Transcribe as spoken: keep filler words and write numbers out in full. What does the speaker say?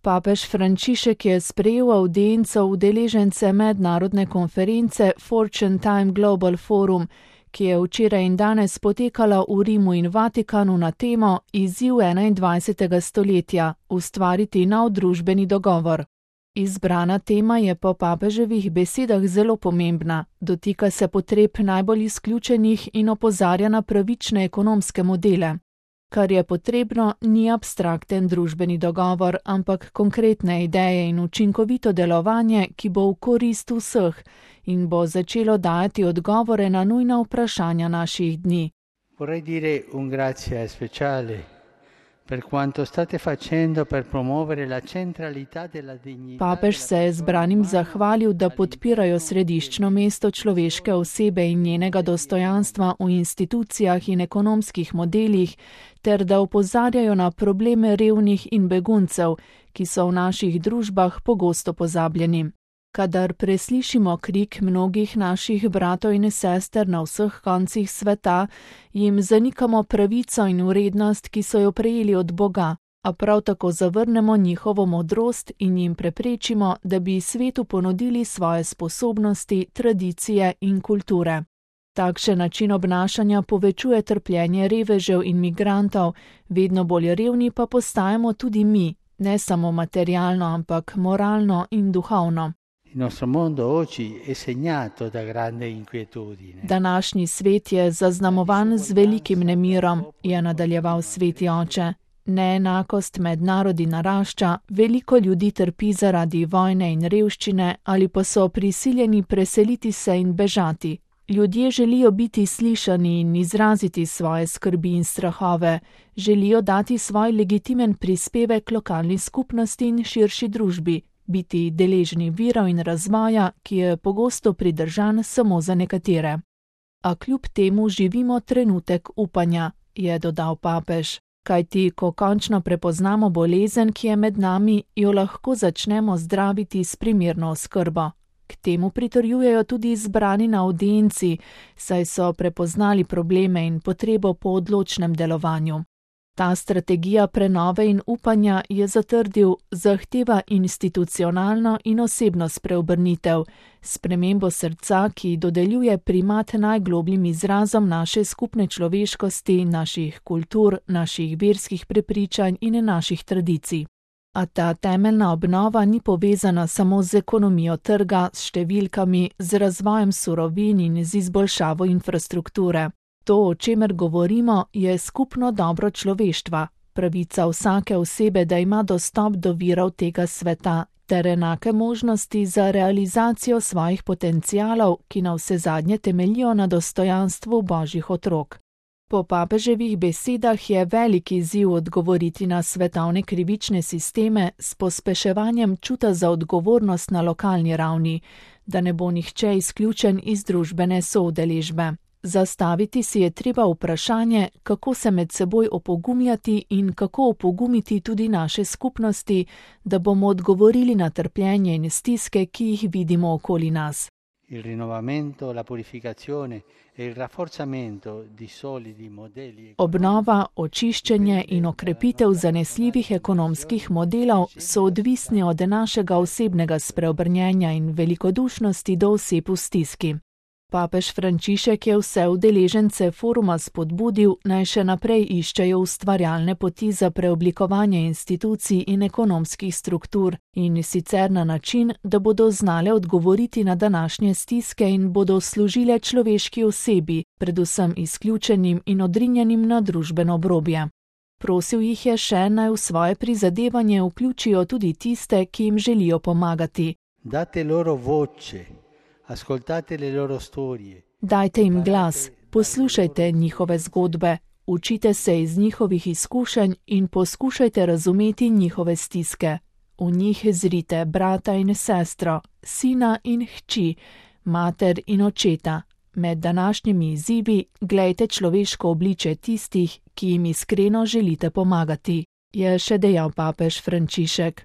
Papež Frančišek je sprejel avdienco udeležence mednarodne konference Fortune Time Global Forum, ki je včeraj in danes potekala v Rimu in Vatikanu na temo Izziv enaindvajsetega stoletja – ustvariti nov družbeni dogovor. Izbrana tema je po papeževih besedah zelo pomembna, dotika se potreb najbolj izključenih in opozarja na pravične ekonomske modele. Kar je potrebno, ni abstrakten družbeni dogovor, ampak konkretne ideje in učinkovito delovanje, ki bo v korist vseh in bo začelo dajati odgovore na nujna vprašanja naših dni. Vorrei dire un grazie speciale per quanto state facendo per promuovere la centralità della dignità. Papež se je zbranim zahvalil, da podpirajo središčno mesto človeške osebe in njenega dostojanstva v institucijah in ekonomskih modelih, ter da opozarjajo na probleme revnih in beguncev, ki so v naših družbah pogosto pozabljeni. Kadar preslišimo krik mnogih naših bratov in sester na vseh koncih sveta, jim zanikamo pravico in vrednost, ki so jo prejeli od Boga, a prav tako zavrnemo njihovo modrost in jim preprečimo, da bi svetu ponudili svoje sposobnosti, tradicije in kulture. Takšen način obnašanja povečuje trpljenje revežev in migrantov, vedno bolj revni pa postajamo tudi mi, ne samo materialno, ampak moralno in duhovno. Il nostro mondo oggi è segnato da grande inquietudine. Današnji svet je zaznamovan z velikim nemirom, je nadaljeval sveti oče. Neenakost med narodi narašča, veliko ljudi trpi zaradi vojne in revščine ali pa so prisiljeni preseliti se in bežati. Ljudje želijo biti slišani in izraziti svoje skrbi in strahove, želijo dati svoj legitimen prispevek lokalni skupnosti in širši družbi, biti deležni virov in razvoja, ki je pogosto pridržan samo za nekatere. A kljub temu živimo trenutek upanja, je dodal papež, kajti ko končno prepoznamo bolezen, ki je med nami, jo lahko začnemo zdraviti s primerno oskrbo. K temu pritrjujejo tudi izbrani na avdienci, saj so prepoznali probleme in potrebo po odločnem delovanju. Ta strategija prenove in upanja, je zatrdil, zahteva institucionalno in osebno spreobrnitev, spremembo srca, ki dodeljuje primat najglobljim izrazom naše skupne človeškosti, naših kultur, naših verskih prepričanj in naših tradicij. A ta temeljna obnova ni povezana samo z ekonomijo trga, s številkami, z razvojem surovin in z izboljšavo infrastrukture. To, o čemer govorimo, je skupno dobro človeštva, pravica vsake osebe, da ima dostop do virov tega sveta, ter enake možnosti za realizacijo svojih potencialov, ki navsezadnje temeljijo na dostojanstvu božjih otrok. Po papeževih besedah je velik izziv odgovoriti na svetovne krivične sisteme s pospeševanjem čuta za odgovornost na lokalni ravni, da ne bo nihče izključen iz družbene soudeležbe. Zastaviti si je treba vprašanje, kako se med seboj opogumljati in kako opogumiti tudi naše skupnosti, da bomo odgovorili na trpljenje in stiske, ki jih vidimo okoli nas. Il rinnovamento, la purificazione e il rafforzamento di solidi modelli. Obnova, očiščenje in okrepitev zanesljivih ekonomskih modelov so odvisni od našega osebnega spreobrnjenja in velikodušnosti do oseb v stiski. Papež Frančišek je vse udeležence foruma spodbudil, naj še naprej iščejo ustvarjalne poti za preoblikovanje institucij in ekonomskih struktur, in sicer na način, da bodo znale odgovoriti na današnje stiske in bodo služile človeški osebi, predvsem izključenim in odrinjenim na družbeno obrobje. Prosil jih je še, naj v svoje prizadevanje vključijo tudi tiste, ki jim želijo pomagati. Date loro voce. Ascoltate le loro storie. Dajte jim glas, poslušajte njihove zgodbe, učite se iz njihovih izkušenj in poskušajte razumeti njihove stiske. V njih zrite brata in sestro, sina in hči, mater in očeta. Med današnjimi izzivi glejte človeško obličje tistih, ki jim iskreno želite pomagati, je še dejal papež Frančišek.